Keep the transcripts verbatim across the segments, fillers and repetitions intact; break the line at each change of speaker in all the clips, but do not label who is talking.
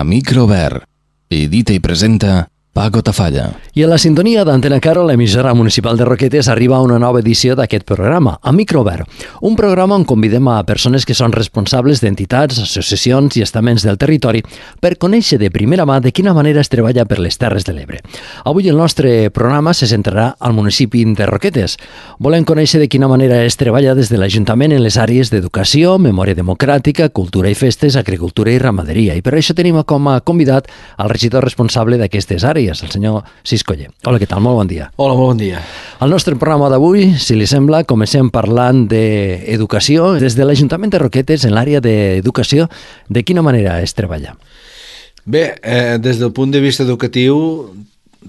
A micro obert. Edita i presenta Paco Tafalla.
I a la sintonia d'Antena Caro, l'emissora municipal de Roquetes, arriba una nova edició d'aquest programa, A micro obert. Un programa on convidem a persones que són responsables d'entitats, associacions i estaments del territori per conèixer de primera mà de quina manera es treballa per les Terres de l'Ebre. Avui el nostre programa se centrarà al municipi de Roquetes. Volem conèixer de quina manera es treballa des de l'Ajuntament en les àrees d'educació, memòria democràtica, cultura i festes, agricultura i ramaderia. I per això tenim com a convidat al regidor responsable d'aquestes àrees, el senyor Siscoller. Hola, què tal? Molt bon dia.
Hola, molt bon dia.
Al nostre programa d'avui, si li sembla, comencem parlant d'educació. Des de l'Ajuntament de Roquetes, en l'àrea d'educació, de quina manera es treballa?
Bé, eh, des del punt de vista educatiu,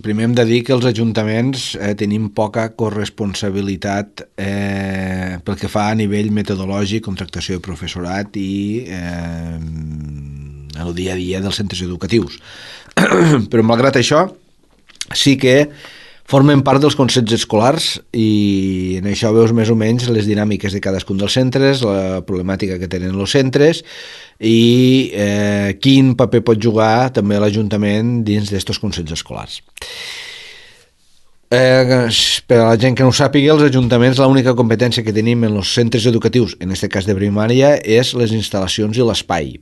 primer hem de dir que els ajuntaments eh, tenim poca corresponsabilitat eh, pel que fa a nivell metodològic, contractació de professorat i eh, el dia a dia dels centres educatius. Però malgrat això sí que formen part dels consells escolars i en això veus més o menys les dinàmiques de cadascun dels centres, la problemàtica que tenen els centres i eh, quin paper pot jugar també l'Ajuntament dins d'estos consells escolars. Eh, per a la gent que no ho sàpiga, els ajuntaments l'única competència que tenim en els centres educatius, en aquest cas de primària, és les instal·lacions i l'espai.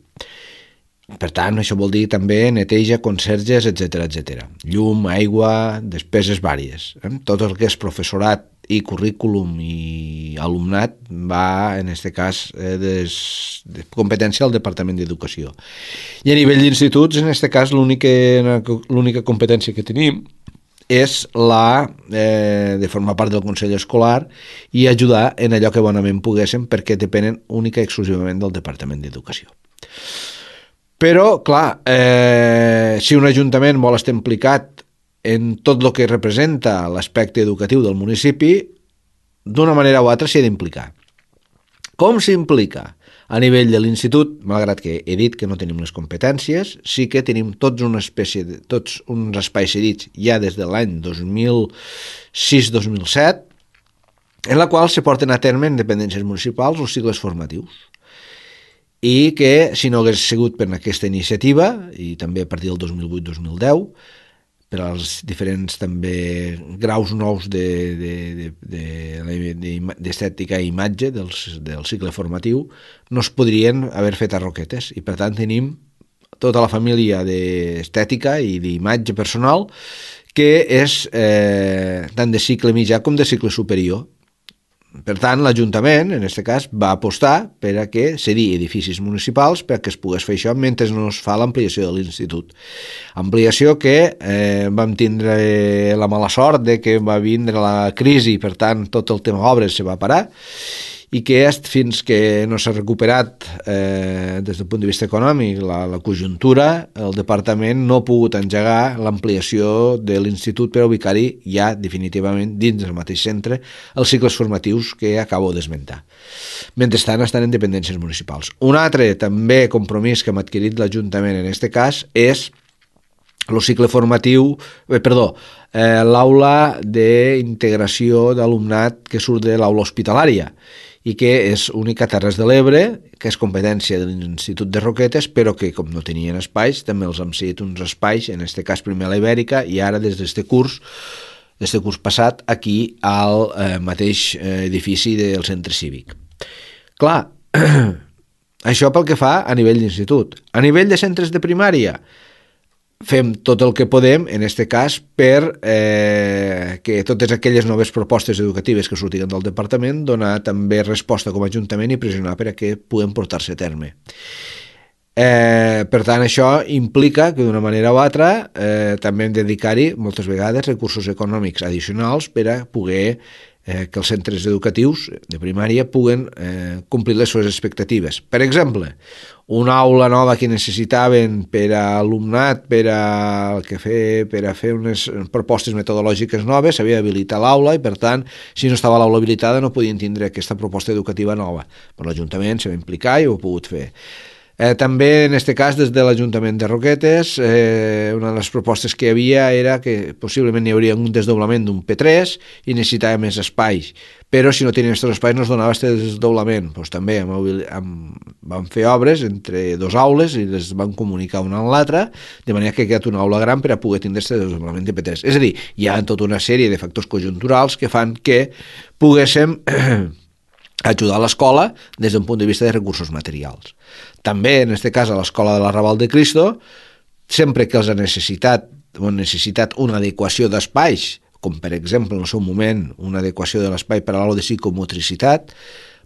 Per tant, això vol dir també neteja, conserges, etcètera, etcètera. Llum, aigua, despeses vàries. Eh? Tot el que és professorat i currículum i alumnat va, en aquest cas, eh, des, de competència al Departament d'Educació. I a nivell d'instituts, en aquest cas, l'única competència que tenim és la eh, de formar part del Consell Escolar i ajudar en allò que bonament poguéssim perquè depenen única i exclusivament del Departament d'Educació. Però, clar, eh, si un ajuntament vol estar implicat en tot el que representa l'aspecte educatiu del municipi, d'una manera o altra s'hi ha d'implicar. Com s'implica? A nivell de l'institut, malgrat que he dit que no tenim les competències, sí que tenim tots una espècie de, tots uns espais cedits ja des de l'any dos mil sis dos mil set, en la qual se porten a terme en dependències municipals els cicles formatius. I que, si no hagués sigut per aquesta iniciativa, i també a partir del dos mil vuit dos mil deu, per als diferents també graus nous d'estètica i imatge del, del cicle formatiu, no es podrien haver fet a Roquetes. I per tant tenim tota la família d'estètica i d'imatge personal que és eh, tant de cicle mitjà com de cicle superior. Per tant, l'Ajuntament, en aquest cas, va apostar per a que cedir edificis municipals perquè es pogués fer això mentre no es fa l'ampliació de l'institut. Ampliació que eh, vam tindre la mala sort de que va vindre la crisi i, per tant, tot el tema obres se va parar i que fins que no s'ha recuperat eh, des del punt de vista econòmic la, la conjuntura, el departament no ha pogut engegar l'ampliació de l'institut per a ubicar-hi ja definitivament dins del mateix centre els cicles formatius que acabo d'esmentar. Mentrestant estan en dependències municipals. Un altre també compromís que hem adquirit l'Ajuntament en aquest cas és el cicle formatiu, eh, perdó, eh, l'aula d'integració d'alumnat que surt de l'aula hospitalària i que és única a Terres de l'Ebre, que és competència de l'Institut de Roquetes, però que, com no tenien espais, també els hem cedit uns espais, en aquest cas primer a la Ibèrica, i ara des d'este curs, d'este curs passat, aquí al eh, mateix eh, edifici del centre cívic. Clar, això pel que fa a nivell d'institut. A nivell de centres de primària, fem tot el que podem, en aquest cas, per eh, que totes aquelles noves propostes educatives que sortiguen del departament donar també resposta com a Ajuntament i pressionar per a que puguem portar-se a terme. Eh, per tant, això implica que d'una manera o altra eh, també hem de dedicar-hi moltes vegades recursos econòmics addicionals per a poder eh, que els centres educatius de primària puguen eh, complir les seves expectatives. Per exemple, una aula nova que necessitaven per a alumnat, per a, que fer, per a fer unes propostes metodològiques noves, s'havia d'habilitar l'aula i, per tant, si no estava l'aula habilitada no podien tindre aquesta proposta educativa nova. Però l'Ajuntament s'ha d'implicar i ho ha pogut fer. Eh, també, en aquest cas, des de l'Ajuntament de Roquetes, eh, una de les propostes que hi havia era que possiblement hi hauria un desdoblament d'un P tres i necessitava més espais, però si no tenien aquests espais no es donava aquest desdoblament. Pues, també amb, amb, van fer obres entre dos aules i les van comunicar una amb l'altra, de manera que ha quedat una aula gran per a poder tindre aquest desdoblament de P tres. És a dir, hi ha tota una sèrie de factors conjunturals que fan que poguéssim ajudar l'escola des d'un punt de vista de recursos materials. També, en aquest cas, a l'escola de l'Arrabal de Cristo, sempre que els ha necessitat, o han necessitat una adequació d'espais, com per exemple en el seu moment una adequació de l'espai per a l'aula de psicomotricitat,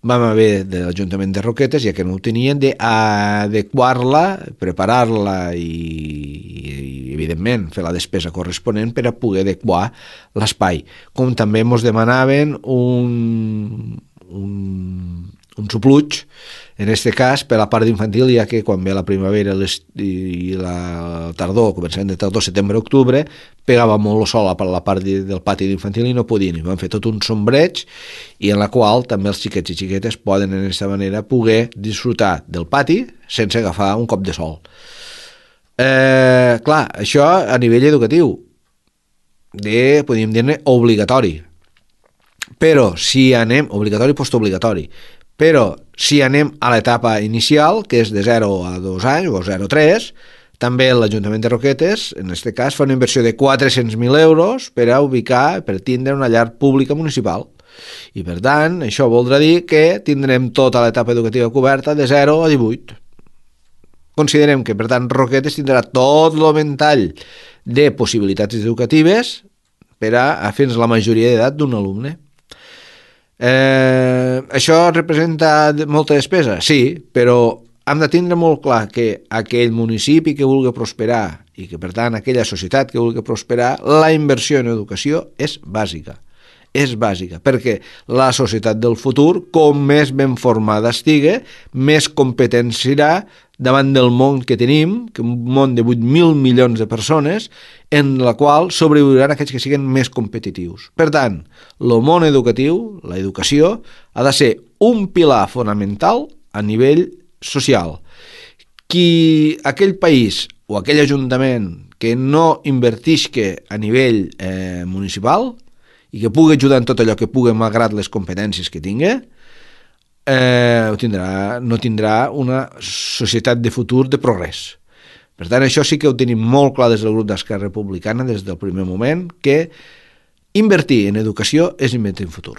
vam haver de l'Ajuntament de Roquetes, ja que no ho tenien, d'adequar-la, preparar-la i, i, evidentment, fer la despesa corresponent per a poder adequar l'espai. Com també ens demanaven un, un, un supluig, en aquest cas, per la part d'infantil, ja que quan ve la primavera i la tardor, començament de tardor, setembre, octubre, pegava molt el sol a la part del pati d'infantil i no podien. I van fer tot un sombreig i en la qual també els xiquets i xiquetes poden, en aquesta manera, poder disfrutar del pati sense agafar un cop de sol. Eh, clar, això a nivell educatiu, de, podríem dir-ne, obligatori. Però si anem, obligatori i postobligatori, però si anem a l'etapa inicial, que és de zero a dos anys o zero a tres, també l'Ajuntament de Roquetes, en aquest cas, fa una inversió de quatre-cents mil euros per a ubicar, per tindre una llar pública municipal. I, per tant, això voldrà dir que tindrem tota l'etapa educativa coberta de zero a divuit. Considerem que, per tant, Roquetes tindrà tot el ventall de possibilitats educatives per a, a fins la majoria d'edat d'un alumne. Eh, això representa molta despesa? Sí, però hem de tindre molt clar que aquell municipi que vulgui prosperar i que per tant aquella societat que vulgui prosperar, la inversió en educació és bàsica. És bàsica, perquè la societat del futur, com més ben formada estigui, més competent serà davant del món que tenim, que un món de vuit mil milions de persones, en la qual sobreviuran aquells que siguin més competitius. Per tant, el món educatiu, l'educació, ha de ser un pilar fonamental a nivell social. Qui, aquell país o aquell ajuntament que no invertisca a nivell eh, municipal i que pugui ajudar en tot allò que pugui malgrat les competències que tingui, eh, tindrà, no tindrà una societat de futur de progrés. Per tant, això sí que ho tenim molt clar des del grup d'Esquerra Republicana des del primer moment, que invertir en educació és invertir en futur.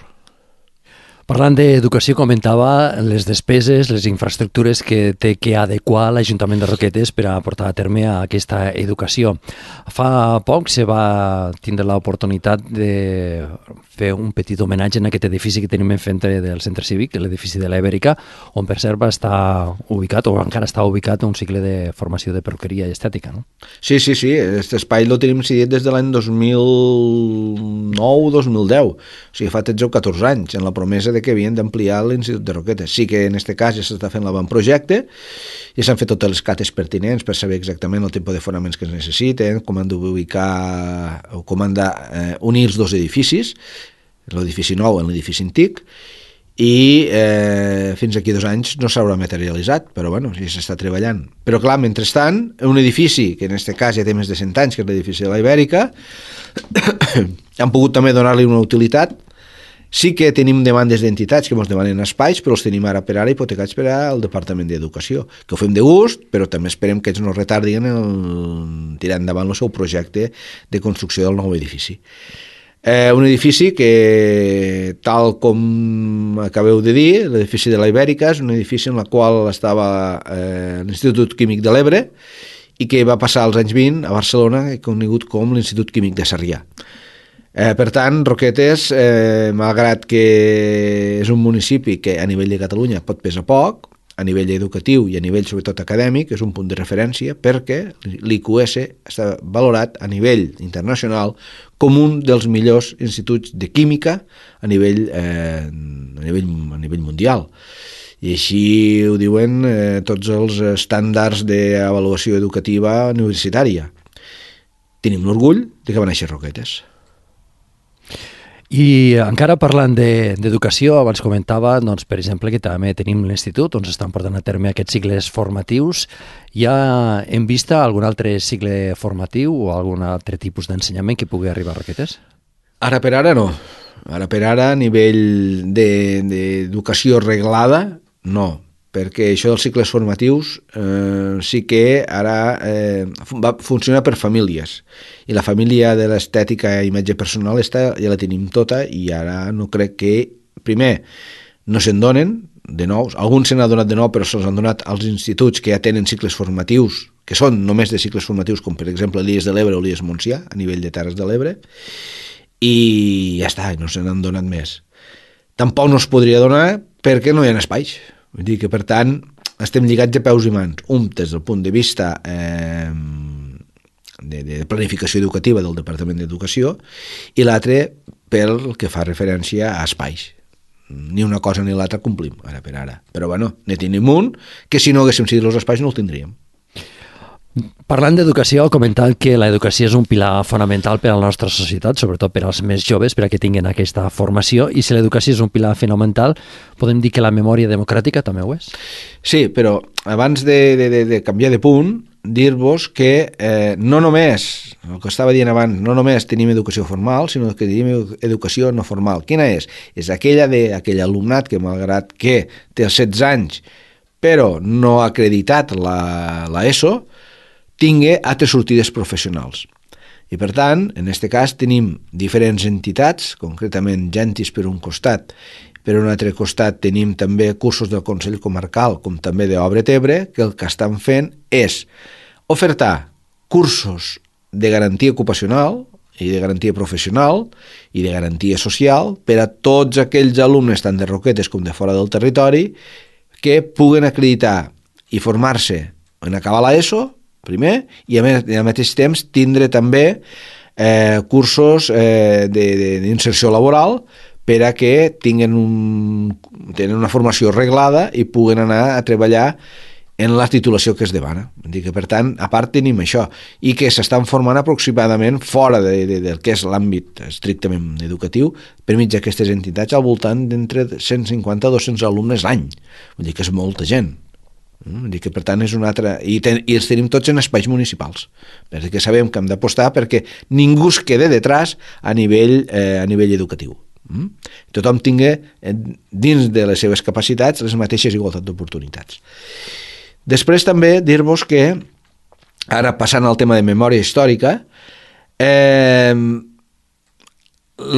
Parlant d'educació, comentava les despeses, les infraestructures que té que adequar l'Ajuntament de Roquetes per a portar a terme aquesta educació. Fa poc se va tindre l'oportunitat de fer un petit homenatge en aquest edifici que tenim enfrente del centre cívic, l'edifici de la Ibèrica, on per cert va estar ubicat, o encara està ubicat, un cicle de formació de perruqueria i estètica, no?
Sí, sí, sí, aquest espai el tenim cedit des de l'any dos mil nou dos mil deu, o sigui, fa tretze o catorze anys, en la promesa de que havien d'ampliar l'Institut de Roquetes. Sí que en aquest cas ja s'està fent l'avantprojecte, ja s'han fet totes les cates pertinents per saber exactament el tipus de fonaments que es necessiten, com han d'ubicar o com han d'unir els dos edificis, l'edifici nou en l'edifici antic, i eh, fins aquí dos anys no s'haurà materialitzat, però bueno, ja s'està treballant. Però clar, mentrestant, un edifici, que en aquest cas ja té més de cent anys, que és l'edifici de la Ibèrica, han pogut també donar-li una utilitat. Sí que tenim demandes d'entitats que ens demanen espais, però els tenim ara per ara hipotecats per al Departament d'Educació, que ho fem de gust, però també esperem que ells no retardin el tirar endavant el seu projecte de construcció del nou edifici. Eh, un edifici que, tal com acabeu de dir, l'edifici de la Ibèrica és un edifici en el qual estava eh, l'Institut Químic de l'Ebre i que va passar als anys vint a Barcelona, conegut com l'Institut Químic de Sarrià. Eh, per tant, Roquetes, eh, malgrat que és un municipi que a nivell de Catalunya pot pesar poc, a nivell educatiu i a nivell sobretot acadèmic és un punt de referència perquè l'I Q S està valorat a nivell internacional com un dels millors instituts de química a nivell, eh, a nivell, a nivell mundial. I així ho diuen eh, tots els estàndards d'avaluació educativa universitària. Tenim l'orgull de que va néixer Roquetes.
I encara parlant d'educació, abans comentava, doncs, per exemple, que també tenim l'institut on s'estan portant a terme aquests cicles formatius. Ja hem vist algun altre cicle formatiu o algun altre tipus d'ensenyament que pugui arribar a Roquetes?
Ara per ara no. Ara per ara, a nivell d'educació reglada, no. Perquè això dels cicles formatius eh, sí que ara eh, va funcionar per famílies, i la família de l'estètica i imatge personal està, ja la tenim tota, i ara no crec que, primer, no se'n donen de nous, alguns se n'ha donat de nou, però se'ls han donat als instituts que ja tenen cicles formatius, que són només de cicles formatius, com per exemple l'I E S de l'Ebre o l'I E S Montsià, a nivell de Terres de l'Ebre, i ja està, no se n'han donat més. Tampoc no es podria donar perquè no hi ha espais. Vull dir que, per tant, estem lligats de peus i mans, un des del punt de vista eh, de, de planificació educativa del Departament d'Educació, i l'altre pel que fa referència a espais. Ni una cosa ni l'altra complim, ara per ara. Però, bueno, ne tenim un, que si no haguéssim cedit els espais no el tindríem.
Parlant d'educació, comentant que l'educació és un pilar fonamental per a la nostra societat, sobretot per als més joves, per a que tinguin aquesta formació, i si l'educació és un pilar fonamental, podem dir que la memòria democràtica també ho és?
Sí, però abans de, de, de canviar de punt, dir-vos que eh, no només, el que estava dient abans, no només tenim educació formal, sinó que tenim educació no formal. Quina és? És aquella d'aquell alumnat que, malgrat que té els setze anys, però no ha acreditat la, la ESO, tingui altres sortides professionals. I per tant, en aquest cas tenim diferents entitats, concretament Gentis per un costat, per un altre costat tenim també cursos del Consell Comarcal, com també d'Obra Tebre, que el que estan fent és ofertar cursos de garantia ocupacional i de garantia professional i de garantia social per a tots aquells alumnes, tant de Roquetes com de fora del territori, que puguen acreditar i formar-se en acabar l'ESO, primer, i al mateix temps tindre també eh, cursos eh, d'inserció laboral per a que tinguin, un, tenen una formació reglada i puguen anar a treballar en la titulació que es demana. Dir que, per tant, a part tenim això, i que s'estan formant aproximadament fora de, de, del que és l'àmbit estrictament educatiu, per mig d'aquestes entitats, al voltant d'entre cent cinquanta a dos-cents alumnes l'any. Vull dir que és molta gent. Vull dir que, per tant, és una altra... I, ten... I els tenim tots en espais municipals, perquè sabem que hem d'apostar perquè ningú es quede detrás a nivell, eh, a nivell educatiu. Mm? Tothom tingui, eh, dins de les seves capacitats, les mateixes igualtats d'oportunitats. Després també dir-vos que, ara passant al tema de memòria històrica, eh,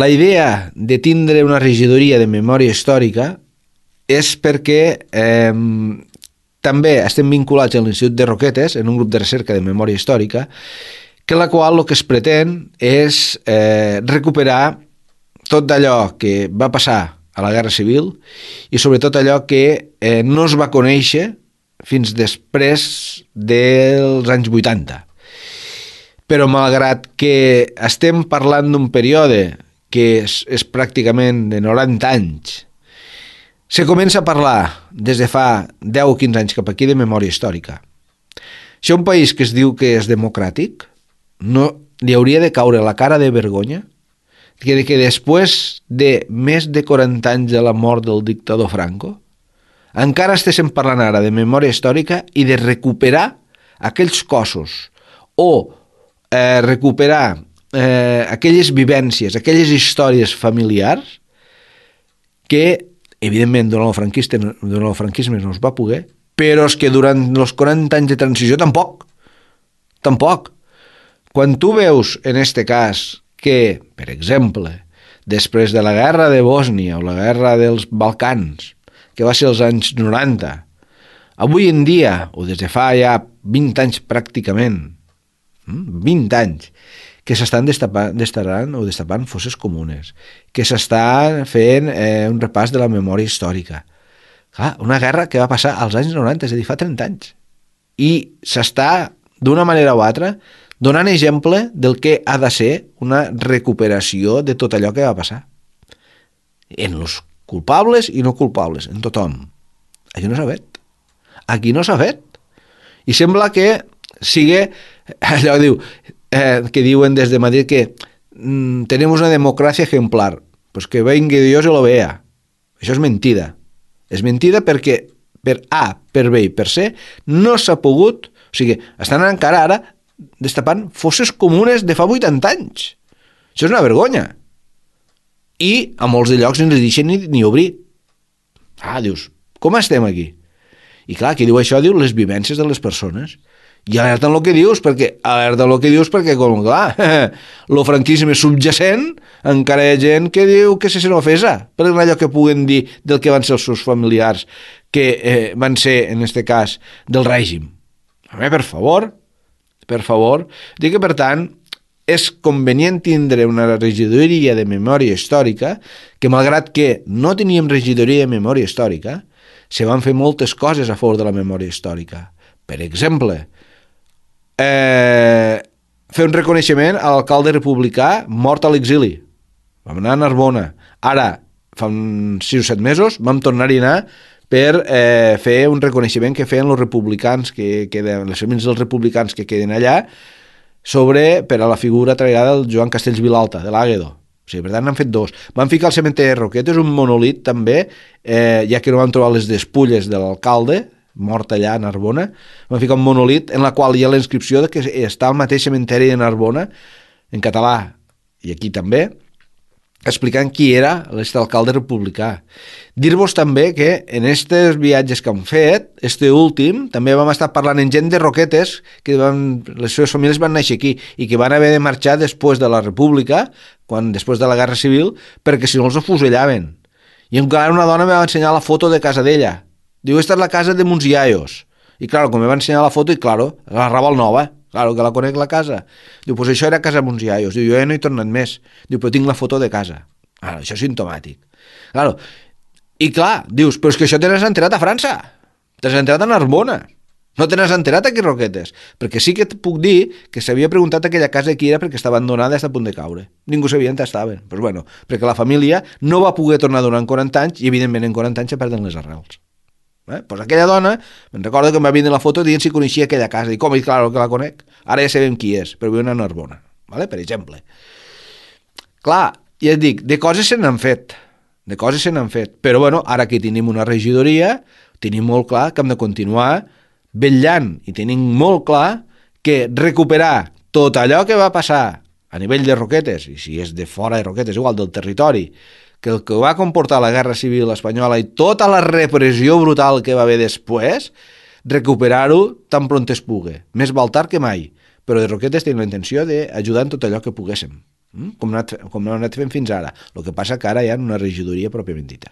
la idea de tindre una regidoria de memòria històrica és perquè eh, també estem vinculats a l'Institut de Roquetes, en un grup de recerca de memòria històrica, que la qual el que es pretén és eh, recuperar tot d'allò que va passar a la Guerra Civil i sobretot allò que eh, no es va conèixer fins després dels anys vuitanta. Però malgrat que estem parlant d'un període que és, és pràcticament de noranta anys, se comença a parlar des de fa deu o quinze anys cap aquí de memòria històrica. Si un país que es diu que és democràtic, no li hauria de caure la cara de vergonya que, que després de més de quaranta anys de la mort del dictador Franco, encara estéssim parlant ara de memòria històrica i de recuperar aquells cossos o eh, recuperar eh, aquelles vivències, aquelles històries familiars que evidentment, durant el, franquista, durant el franquisme no es va poder, però és que durant els quaranta anys de transició tampoc. Tampoc. Quan tu veus, en este cas, que, per exemple, després de la guerra de Bòsnia o la guerra dels Balcans, que va ser als anys noranta, avui en dia, o des de fa ja vint anys pràcticament, vint anys, que s'estan destapant, destapant o destapant fosses comunes, que s'està fent eh, un repàs de la memòria històrica. Clar, una guerra que va passar als anys noranta, és a dir, fa trenta anys. I s'està, d'una manera o altra, donant exemple del que ha de ser una recuperació de tot allò que va passar. En els culpables i no culpables, en tothom. Això no s'ha fet. Aquí no s'ha fet. I sembla que sigui allò que diu... Eh, que diuen des de Madrid que mm, tenemos una democracia ejemplar. pues que venga Dios y lo vea. Això és mentida. És mentida perquè per A, per B i per C no s'ha pogut, o sigui, estan encara ara destapant fosses comunes de fa vuitanta anys. Això és una vergonya. I a molts de llocs no ens deixen ni, ni obrir. Ah, dius, com estem aquí? I clar, qui diu això diu les vivències de les persones. I alerta en el que dius, perquè alerta en el que dius perquè, com clar, el franquisme subjacent, encara hi ha gent que diu que se sent ofesa per allò que puguen dir del que van ser els seus familiars, que eh, van ser, en este cas, del règim. A mi, per favor, per favor, dic que, per tant, és convenient tindre una regidoria de memòria històrica que, malgrat que no teníem regidoria de memòria històrica, se van fer moltes coses a favor de la memòria històrica. Per exemple, eh, fer un reconeixement a l'alcalde republicà mort a l'exili. Vam anar a Narbona. Ara, fa uns sis o set mesos, vam tornar-hi a anar per eh, fer un reconeixement que feien els republicans, que queden, les famílies dels republicans que queden allà, sobre, per a la figura traïada del Joan Castells Vilalta, de l'Àguedo. O sigui, per tant, n'han fet dos. Van ficar al cementeri de Roquetes un monolit, també, eh, ja que no van trobar les despulles de l'alcalde, mort allà a Narbona, van ficar un monolit en la qual hi ha la inscripció de que està al mateix cementeri de Narbona, en català, i aquí també, explicant qui era aquest alcalde republicà. Dir-vos també que en aquests viatges que han fet, este últim, també vam estar parlant amb gent de Roquetes, que van, les seves famílies van néixer aquí, i que van haver de marxar després de la república, quan, després de la guerra civil, perquè si no els afusellaven. I encara una dona me va ensenyar la foto de casa d'ella. Diu, esta és la casa de Muns Iaios. I claro, com me va ensenyar la foto, i claro, la Raval Nova, claro, que la conec la casa. Diu, pues això era casa Muns Iaios. Diu, jo ja no he tornat més. Diu, però tinc la foto de casa. Claro, això és simptomàtic. Claro. I clar, dius, però és que això te n'has enterat a França. Te n'has enterat a Narbona. No te n'has enterat aquí, Roquetes. Perquè sí que et puc dir que s'havia preguntat aquella casa qui era perquè estava abandonada i està a punt de caure. Ningú sabia on estaven. Pues bueno, perquè la família no va poder tornar durant quaranta anys i, evidentment, en quaranta anys se perden les arrels. Eh? Pues aquella dona, me'n recordo que em va vindre la foto dient si coneixia aquella casa. I com? I clar que la conec. Ara ja sabem qui és, però viu a Narbona. ¿Vale? Per exemple. Clar, ja et dic, de coses se n'han fet. De coses se n'han fet. Però bueno, ara que tenim una regidoria, tenim molt clar que hem de continuar vetllant i tenim molt clar que recuperar tot allò que va passar a nivell de Roquetes, i si és de fora de Roquetes, igual del territori, que el que va comportar la Guerra Civil Espanyola i tota la repressió brutal que va haver després, recuperar-ho tan pront es pugui. Més val tard que mai, però de Roquetes tenim la intenció d'ajudar en tot allò que poguéssim, com no hem anat fent fins ara. El que passa que ara hi ha una regidoria pròpiament dita.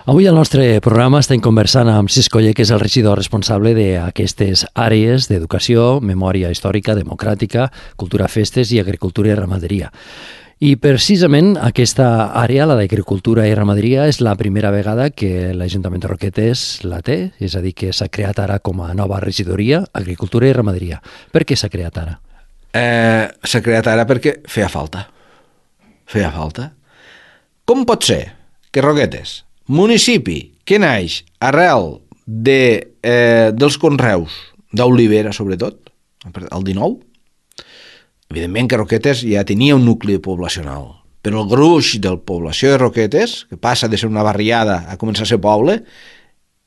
Avui al nostre programa estem conversant amb Cis Coller, que és el regidor responsable d'aquestes àrees d'educació, memòria històrica, democràtica, cultura, festes i agricultura i ramaderia. I precisament aquesta àrea, la d'agricultura i ramaderia, és la primera vegada que l'Ajuntament de Roquetes la té, és a dir, que s'ha creat ara com a nova regidoria, agricultura i ramaderia. Per què s'ha creat ara?
Eh, s'ha creat ara perquè feia falta. Feia falta. Com pot ser que Roquetes, municipi que naix arrel de, eh, dels conreus d'olivera, sobretot, el dinou, evidentment que Roquetes ja tenia un nucli poblacional, però el gruix de la població de Roquetes, que passa de ser una barriada a començar a ser poble,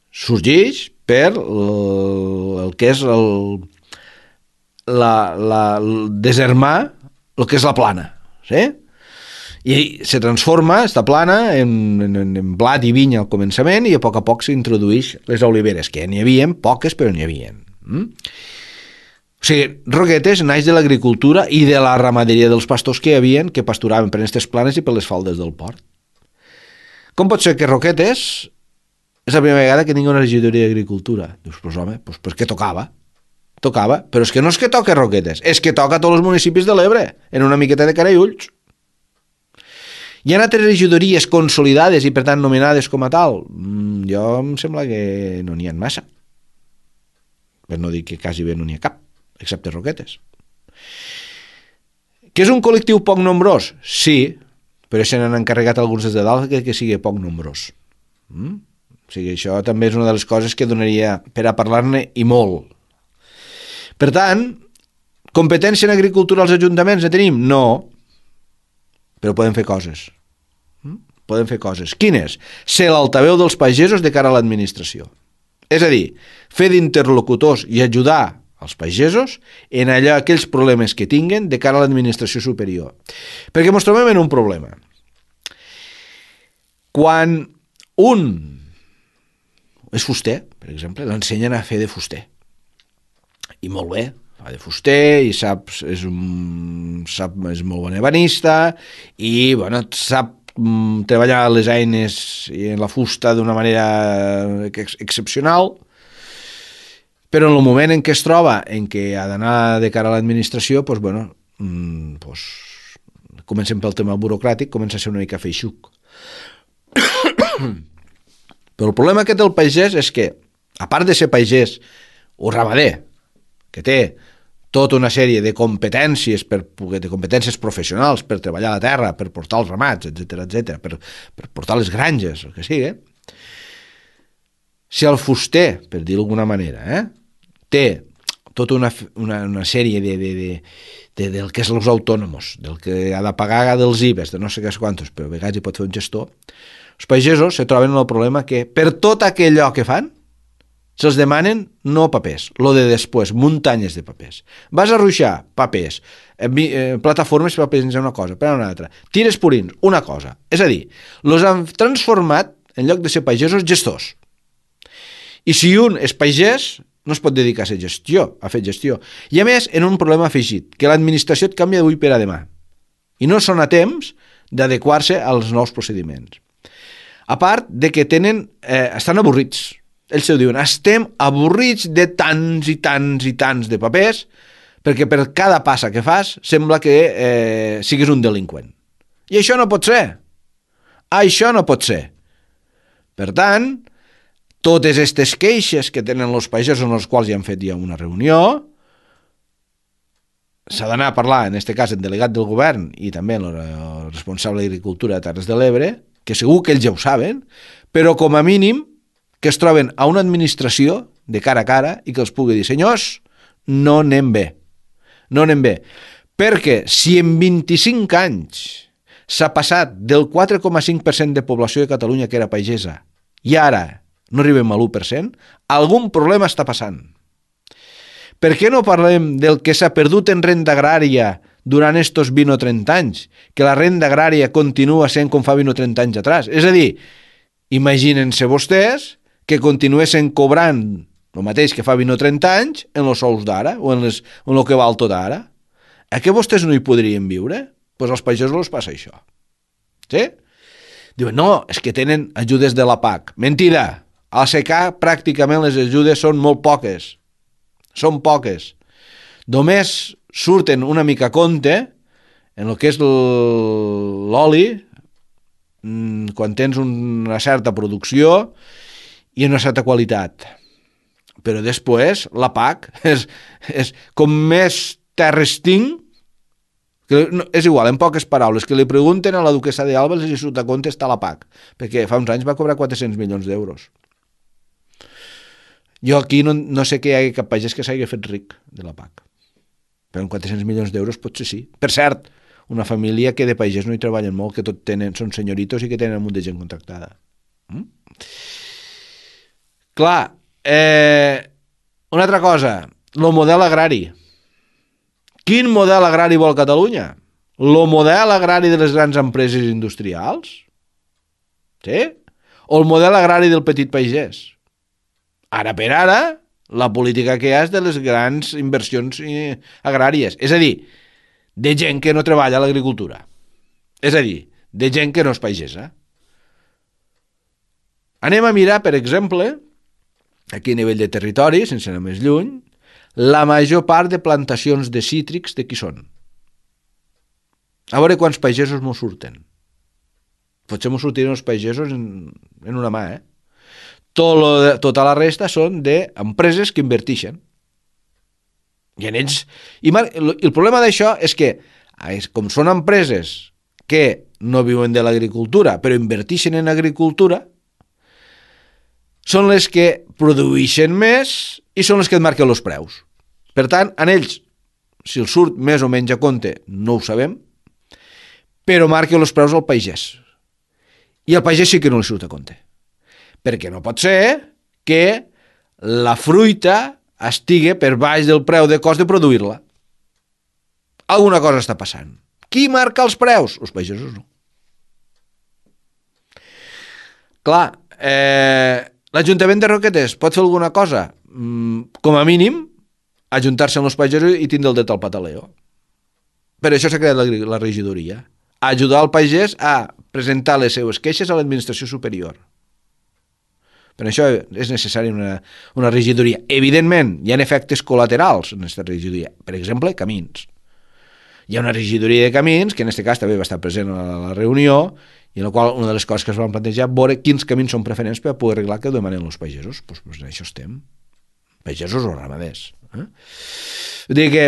sorgeix per el, el que és el, la, la, el deshermar el que és la plana, sí? I se transforma, esta plana, en, en, en blat i vinya al començament i a poc a poc s'introdueix les oliveres, que n'hi havia, poques, però n'hi havia. Mm? O sigui, Roquetes naix de l'agricultura i de la ramaderia dels pastors que hi havia, que pasturaven per aquestes planes i per les faldes del port. Com pot ser que Roquetes és la primera vegada que tingui una regidoria d'agricultura? Dius, pues home, pues perquè tocava. Tocava, però és que no és que toca Roquetes, és que toca a tots els municipis de l'Ebre, en una miqueta de cara i ulls. Hi ha altres regidories consolidades i per tant nomenades com a tal? Mm, jo em sembla que no n'hi ha massa. Per no dir que quasi bé no n'hi ha cap, excepte Roquetes. Que és un col·lectiu poc nombrós? Sí, però se n'han encarregat alguns des de dalt que, que sigui poc nombrós. Mm? O sigui, això també és una de les coses que donaria per a parlar-ne i molt. Per tant, competència en agricultura als ajuntaments ne tenim? No, però podem fer coses. podem fer coses. Quines? Ser l'altaveu dels pagesos de cara a l'administració. És a dir, fer d'interlocutors i ajudar als pagesos en allò, aquells problemes que tinguen de cara a l'administració superior. Perquè ens trobem en un problema. Quan un és fuster, per exemple, l'ensenyen a fer de fuster. I molt bé, fa de fuster i sap, és, un, sap, és molt bon ebanista i bueno, sap mm, treballar les eines i en la fusta d'una manera ex excepcional, però en el moment en què es troba en què ha d'anar de cara a l'administració, doncs, bueno, mm, doncs, comencem pel tema burocràtic, comença a ser una mica feixuc. Però el problema que té el pagès és que, a part de ser pagès o ramader, que té tota una sèrie de competències, per, de competències professionals per treballar la terra, per portar els ramats, etcètera, etcètera, per, per portar les granges, el que sigui, si el fuster, per dir-ho d'alguna manera, eh, té tota una, una, una sèrie de, de, de, de, del que és els autònoms, del que ha de pagar dels I V Es, de no sé què quantos, però a vegades hi pot fer un gestor, els pagesos se troben en el problema que per tot aquellò que fan se'ls demanen no papers, lo de després, muntanyes de papers. Vas a ruixar, papers, eh, eh, plataformes per penjar una cosa, per una altra, tires purins, una cosa. És a dir, els han transformat, en lloc de ser pagesos, gestors. I si un és pagès, no es pot dedicar a ser gestió, a fer gestió. I a més, en un problema afegit, que l'administració et canvia d'avui per a demà. I no són a temps d'adequar-se als nous procediments. A part de que tenen, eh, estan avorrits. Ells ho diuen, estem avorrits de tants i tants i tants de papers perquè per cada passa que fas sembla que eh, siguis un delinqüent. I això no pot ser. Això no pot ser. Per tant, totes aquestes queixes que tenen els pagesos en els quals ja han fet ja una reunió, s'ha d'anar a parlar, en aquest cas, el delegat del govern i també el responsable d'Agricultura de Terres de l'Ebre, que segur que ells ja ho saben, però com a mínim que es troben a una administració de cara a cara i que els pugui dir, senyors, no anem bé. No anem bé. Perquè si en vint-i-cinc anys s'ha passat del quatre coma cinc per cent de població de Catalunya que era pagesa i ara no arribem a l'u per cent, algun problema està passant. Per què no parlem del que s'ha perdut en renda agrària durant estos vint o trenta anys, que la renda agrària continua sent com fa vint o trenta anys atrás? És a dir, imaginen-se vostès que continuessin cobrant el mateix que fa vint o trenta anys en els sous d'ara o en, les, en el que val tot ara. A què vostès no hi podrien viure? Doncs pues als pagesos els passa això. Sí? Diuen, no, és que tenen ajudes de la P A C. Mentida! A la secà pràcticament les ajudes són molt poques. Són poques. Només surten una mica a compte en el que és l'oli quan tens una certa producció i una certa qualitat. Però després la P A C és, és com més terres tinc, que no, és igual, en poques paraules, que li pregunten a la duquessa d'Alba si surt a compte està la P A C, perquè fa uns anys va cobrar quatre-cents milions d'euros. Jo aquí no, no sé que hi hagi cap pagès que s'hagi fet ric de la P A C. Però amb quatre-cents milions d'euros potser sí. Per cert, una família que de pagès no hi treballen molt, que tot tenen, són senyoritos i que tenen un munt de gent contractada. Mm? Clar, eh, una altra cosa, el model agrari. Quin model agrari vol Catalunya? El model agrari de les grans empreses industrials? Sí? O el model agrari del petit pagès? Ara per ara, la política que hi ha és de les grans inversions agràries. És a dir, de gent que no treballa a l'agricultura. És a dir, de gent que no és pagesa. Anem a mirar, per exemple, aquí a nivell de territori, sense anar més lluny, la major part de plantacions de cítrics de qui són. A veure quants pagesos m'ho surten. Potser m'ho sortiran els pagesos en, en una mà, eh? Tot lo de, tota la resta són d'empreses que inverteixen. I en ells... I el problema d'això és que, com són empreses que no viuen de l'agricultura, però inverteixen en agricultura, són les que produeixen més i són les que et marquen els preus. Per tant, en ells, si els surt més o menys a compte, no ho sabem, però marquen els preus al pagès. I el pagès sí que no li surt a compte. Perquè no pot ser que la fruita estigui per baix del preu de cost de produir-la. Alguna cosa està passant. Qui marca els preus? Els pagesos no. Clar, eh, l'Ajuntament de Roquetes pot fer alguna cosa? Mm, com a mínim, ajuntar-se amb els pagesos i tindre el dret al pataleo. Per això s'ha creat la, la regidoria. Ajudar el pagès a presentar les seues queixes a l'administració superior. Per això és necessària una, una regidoria. Evidentment, hi ha efectes col·laterals en aquesta regidoria. Per exemple, camins. Hi ha una regidoria de camins, que en aquest cas també va estar present a la reunió, i en la qual una de les coses que es van plantejar veure quins camins són preferents per poder arreglar que ho demanen els pagesos. Doncs pues, pues en això estem. Pagesos o ramaders. Eh? Vull dir que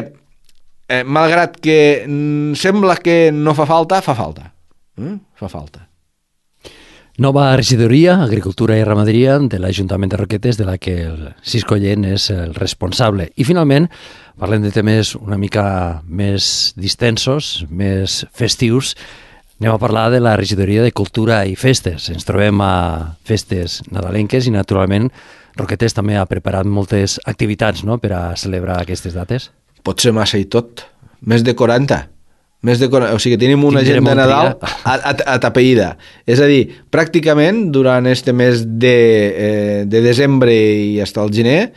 Eh, malgrat que mm, sembla que no fa falta, fa falta. Eh? Fa falta.
Nova regidoria, Agricultura i Ramaderia de l'Ajuntament de Roquetes, de la que el Cisco Llent és el responsable. I finalment, parlem de temes una mica més distensos, més festius. Anem a parlar de la regidoria de Cultura i Festes. Ens trobem a festes nadalenques i, naturalment, Roquetes també ha preparat moltes activitats, no?, per a celebrar aquestes dates.
Pot ser massa i tot. Més de quaranta. Més de quaranta. O sigui, tenim una agenda de Nadal atapeïda. És a dir, pràcticament durant este mes de, eh, de desembre i fins al gener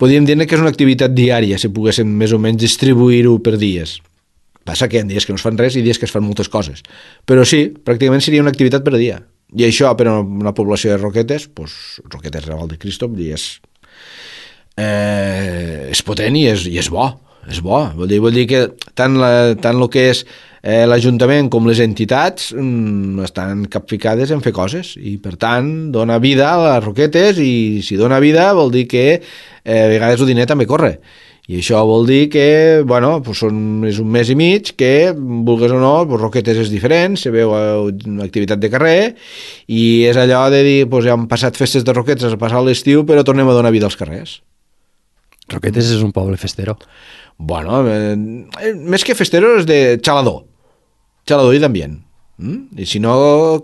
podríem dir que és una activitat diària, si poguéssim més o menys distribuir-ho per dies. Passa que hi ha dies que no es fan res i dies que es fan moltes coses. Però sí, pràcticament seria una activitat per dia. I això, per a una població de Roquetes, doncs, Roquetes Raval de Cristo, és... Eh, és potent i és, i és bo, és bo. Vol dir, vol dir que tant, la, tant el que és eh, l'Ajuntament com les entitats mm, estan capficades en fer coses i per tant dona vida a les Roquetes i si dona vida vol dir que eh, a vegades el diner també corre i això vol dir que bueno, pues són, és un mes i mig que vulgues o no, pues Roquetes és diferent, se veu una activitat de carrer i és allò de dir pues ja han passat festes de Roquetes, ha passat l'estiu però tornem a donar vida als carrers.
Roquetes és un poble festero.
Bueno, eh, més que festero és de xalador. Xalador i d'ambient. Mm? I si no,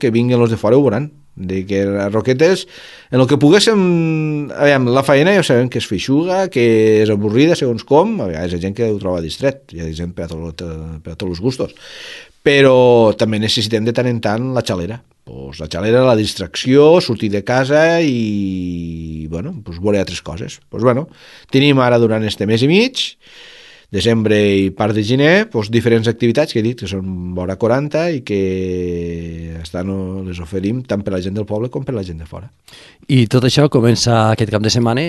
que vinguin els de fora ho veuran. De que a Roquetes, en el que poguéssim... Aviam, la feina ja sabem que és feixuga, que és avorrida, segons com. A vegades hi ha gent que ho troba distret. Hi ha gent per a, tot, per a tots els gustos. Però també necessitem de tant en tant la xalera. Pues la xalera, la distracció, sortir de casa i bueno, pues veure altres coses. Pues bueno, tenim ara durant este mes i mig, desembre i part de gener, pues diferents activitats que he dit que són vora quaranta i que estan, les oferim tant per la gent del poble com per la gent de fora.
I tot això comença aquest cap de setmana,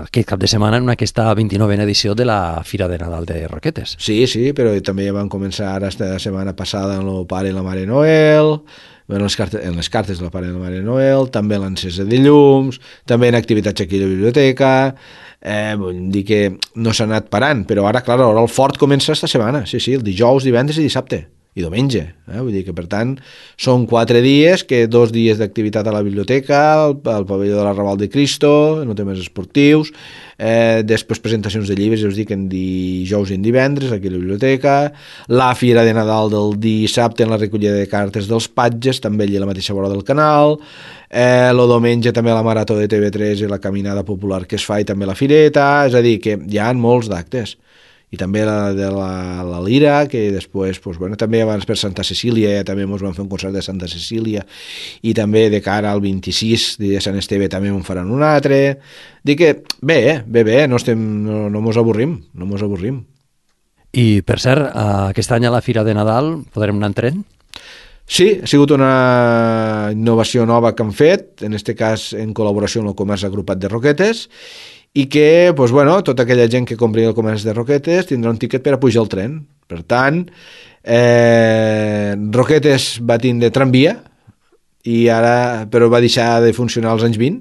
aquest cap de setmana en aquesta vint-i-novena edició de la Fira de Nadal de Roquetes.
Sí, sí, però també van començar ara esta setmana passada amb el Pare i la Mare Noel, en les cartes, en les cartes de la Pare i la Mare Noel, també l'encesa de llums, també en activitats aquí a la biblioteca, eh, vull dir que no s'ha anat parant, però ara, clar, ara el fort comença esta setmana, sí, sí, el dijous, divendres i dissabte, i diumenge, eh? Vull dir que per tant són quatre dies, que dos dies d'activitat a la biblioteca, al, al pavelló de la Raval de Cristo, en temes esportius, eh, després presentacions de llibres, ja us dic, en dijous i en divendres aquí a la biblioteca, la Fira de Nadal del dissabte en la recollida de cartes dels patges, també allà a la mateixa vora del canal, eh, el diumenge també la Marató de T V tres i la caminada popular que es fa i també la fireta, és a dir, que hi ha molts d'actes. I també la de la, la Lira, que després, pues, bueno, també abans per Santa Cecília, ja també ens van fer un concert de Santa Cecília, i també de cara al vint-i-sis de Sant Esteve també en faran un altre. Dic que bé, eh? bé, bé, no, estem, no, no mos avorrim, no mos avorrim.
I, per cert, aquest any a la Fira de Nadal podrem anar en tren?
Sí, ha sigut una innovació nova que han fet, en aquest cas en col·laboració amb el Comerç Agrupat de Roquetes, i que, doncs, bueno, tota aquella gent que compri el comerç de Roquetes tindrà un tiquet per a pujar al tren. Per tant, eh, Roquetes va tindre tramvia, i ara, però va deixar de funcionar als anys vint,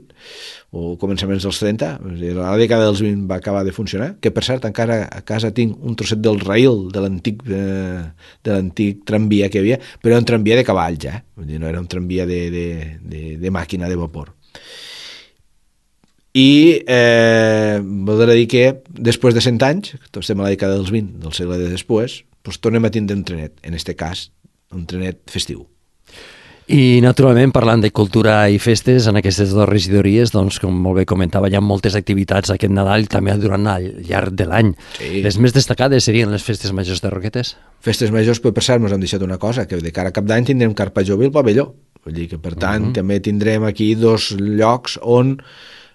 o començaments dels trenta, a la dècada dels vint va acabar de funcionar, que per cert encara a casa tinc un trosset del rail de l'antic eh, de l'antic tramvia que hi havia, però era un tramvia de cavall ja, vull dir, no era un tramvia de, de, de, de màquina de vapor. I eh, voldrà dir que després de cent anys, que estem a la dècada dels vint del segle de després, doncs tornem a tindre un trenet, en aquest cas un trenet festiu.
I, naturalment, parlant de cultura i festes, en aquestes dues regidories, doncs, com molt bé comentava, hi ha moltes activitats aquest Nadal i també durant el llarg de l'any.
Sí.
Les més destacades serien les festes majors de Roquetes?
Festes majors, però per cert, ens han deixat una cosa, que de cara a cap d'any tindrem Carpa Jove i el pavelló. Vull dir que, per tant, uh-huh. també tindrem aquí dos llocs on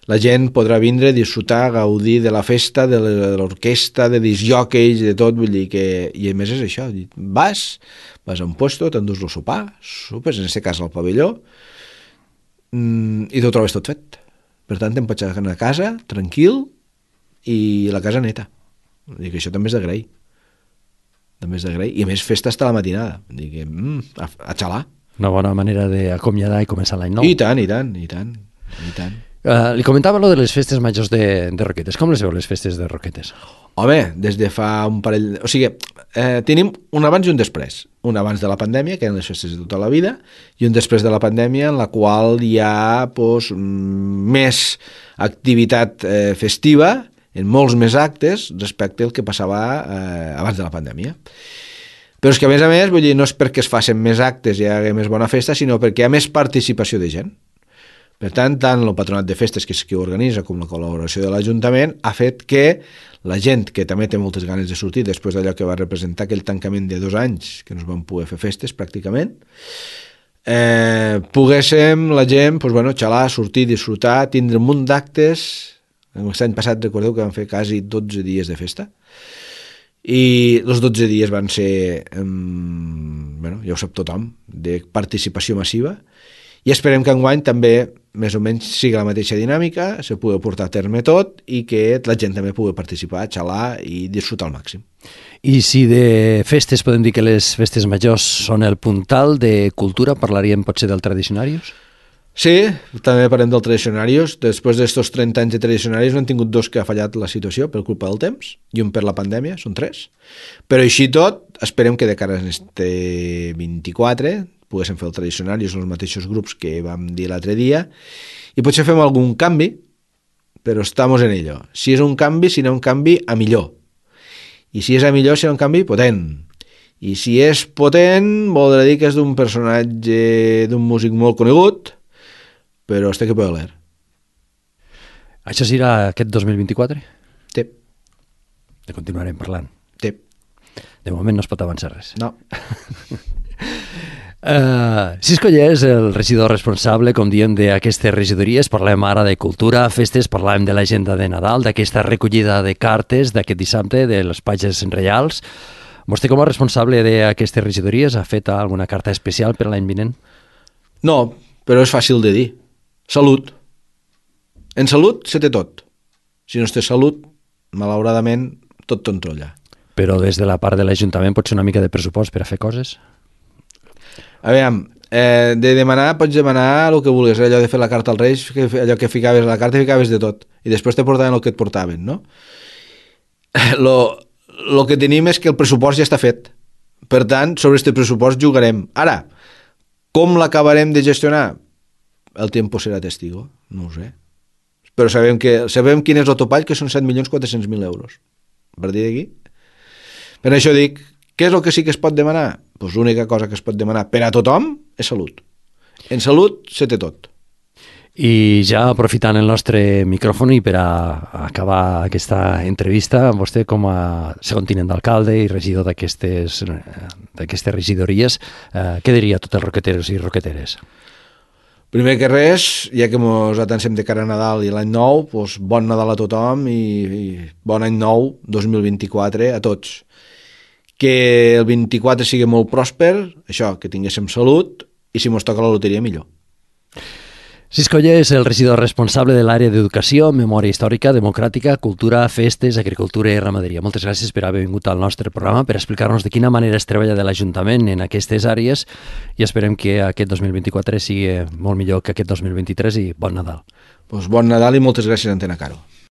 la gent podrà vindre, disfrutar, gaudir de la festa, de l'orquestra, de disjòqueis, de tot, vull dir que... I a més és això, vas, vas a un puesto, t'endús el sopar, sopes, en aquest cas al pavelló, i t'ho trobes tot fet. Per tant, te'n pots anar a casa, tranquil, i la casa neta. Vull dir que això també és d'agrair. També és d'agrair. I a més, festa hasta la matinada. Vull dir que, mm, a, a xalar.
Una bona manera d'acomiadar i començar l'any nou.
I tant, i tant, i tant, i tant.
Uh, li comentava lo de les festes majors de, de Roquetes. Com les veu, les festes de Roquetes?
Home, des de fa un parell... O sigui, eh, tenim un abans i un després. Un abans de la pandèmia, que eren les festes de tota la vida, i un després de la pandèmia, en la qual hi ha pues, més activitat eh, festiva, en molts més actes, respecte al que passava eh, abans de la pandèmia. Però és que, a més a més, vull dir, no és perquè es facin més actes i hi hagi més bona festa, sinó perquè hi ha més participació de gent. Per tant, tant el Patronat de Festes, que és qui ho organitza, com la col·laboració de l'Ajuntament, ha fet que la gent, que també té moltes ganes de sortir després d'allò que va representar aquell tancament de dos anys, que no es van poder fer festes pràcticament, eh, poguéssim la gent pues, bueno, xalar, sortir, disfrutar, tindre un munt d'actes. L'any passat recordeu que van fer quasi dotze dies de festa, i els dotze dies van ser, eh, bueno, ja ho sap tothom, de participació massiva, i esperem que enguany també més o menys sigui la mateixa dinàmica, se pugui portar a terme tot i que la gent també pugui participar, xalar i disfrutar al màxim.
I si de festes podem dir que les festes majors són el puntal de cultura, parlaríem potser del Tradicionarius?
Sí, també parlem del Tradicionarius. Després d'estos trenta anys de Tradicionarius n'han tingut dos que ha fallat la situació per culpa del temps i un per la pandèmia, són tres. Però així tot, esperem que de cara a este vint-i-quatre poguéssim fer el Tradicionarius en els mateixos grups que vam dir l'altre dia i potser fem algun canvi, però estamos en ello. Si és un canvi, serà un canvi a millor. I si és a millor, serà un canvi potent. I si és potent, voldrà dir que és d'un personatge, d'un músic molt conegut, però este que puede leer.
Això serà aquest dos mil vint-i-quatre?
Sí.
De continuarem parlant.
Sí.
De moment no es pot avançar res.
No.
Uh, Cisco ja és el regidor responsable, com diem, d'aquestes regidories. Parlem ara de cultura, festes, parlem de l'agenda de Nadal, d'aquesta recollida de cartes d'aquest dissabte, de les pàgines reials. Vostè, com a responsable d'aquestes regidories, ha fet alguna carta especial per l'any vinent?
No, però és fàcil de dir. Salut. En salut se té tot. Si no es té salut, malauradament, tot t'entrolla.
Però des de la part de l'Ajuntament pot ser una mica de pressupost per a fer coses?
A veure, eh, de demanar, pots demanar el que vulguis, allò de fer la carta als Reis, que, allò que ficaves a la carta ficaves de tot, i després te portaven el que et portaven, no? Lo, lo que tenim és que el pressupost ja està fet. Per tant, sobre aquest pressupost jugarem. Ara, com l'acabarem de gestionar? El temps serà testigo, no ho sé. Però sabem, que, sabem quin és el topall, que són set milions quatre-cents mil euros. A partir d'aquí. Per això dic, què és el que sí que es pot demanar? Doncs l'única cosa que es pot demanar per a tothom és salut. En salut se té tot.
I ja aprofitant el nostre micròfon i per a acabar aquesta entrevista, vostè com a segon tinent d'alcalde i regidor d'aquestes d'aquestes regidories, eh, què diria a tots els roqueteros i roqueteres?
Primer que res, ja que ens atansem de cara a Nadal i l'any nou, doncs bon Nadal a tothom i, i bon any nou dos mil vint-i-quatre a tots. Que el vint-i-quatre sigui molt pròsper, això, que tinguéssim salut, i si mos toca la loteria, millor.
Cisco Oller és el regidor responsable de l'àrea d'Educació, Memòria Històrica, Democràtica, Cultura, Festes, Agricultura i Ramaderia. Moltes gràcies per haver vingut al nostre programa, per explicar-nos de quina manera es treballa de l'Ajuntament en aquestes àrees, i esperem que aquest dos mil vint-i-quatre sigui molt millor que aquest dos mil vint-i-tres i bon Nadal.
Pues bon Nadal i moltes gràcies, Antena Caro.